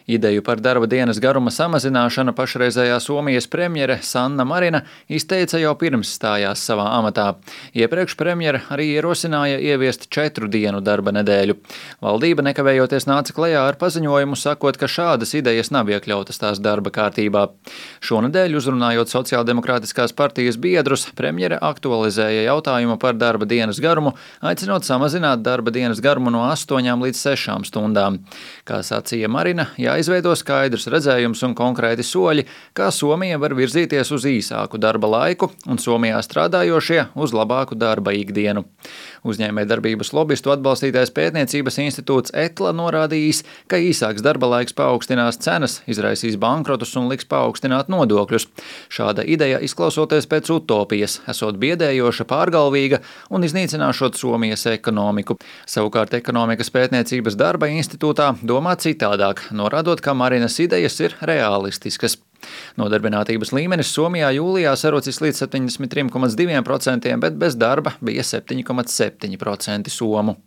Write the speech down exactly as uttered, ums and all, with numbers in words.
Ideju par darba dienas garuma samazināšanu pašreizējā Somijas premjere Sanna Marina izteica jau pirms stājās savā amatā. Iepriekš premjere arī ierosināja ieviest četru dienu darba nedēļu. Valdība nekavējoties nāca klajā ar paziņojumu, sakot, ka šādas idejas nav iekļautas tās darba kārtībā. Šonedēļ, uzrunājot Sociāldemokrātiskās partijas biedrus, premjere aktualizēja jautājumu par darba dienas garumu, aicinot samazināt darba dienas garumu no astoņām līdz sešām stundām. Kā sacīja Marina, jāizveido skaidrs redzējums un konkrēti soļi, kā Somija var virzīties uz īsāku darba laiku un Somijā strādājošie uz labāku darba ikdienu. Uzņēmējdarbības lobistu atbalstītais pētniecības institūts ETLA norādījis, ka īsāks darba laiks paaugstinās cenas, izraisīs bankrotus un liks paaugstināt nodokļus. Šāda ideja izklausoties pēc utopijas, esot biedējoša, pārgalvīga un iznīcināšot Somijas ekonomiku. Savukārt ekonomikas pētniecības darba institūtā domā citādāk, norādot, ka Marinas idejas ir realistiskas. Nodarbinātības līmenis Somijā jūlijā sarucis līdz septiņdesmit trim komats diviem procentiem, bet bez darba bija septiņi komats septiņi procenti somu.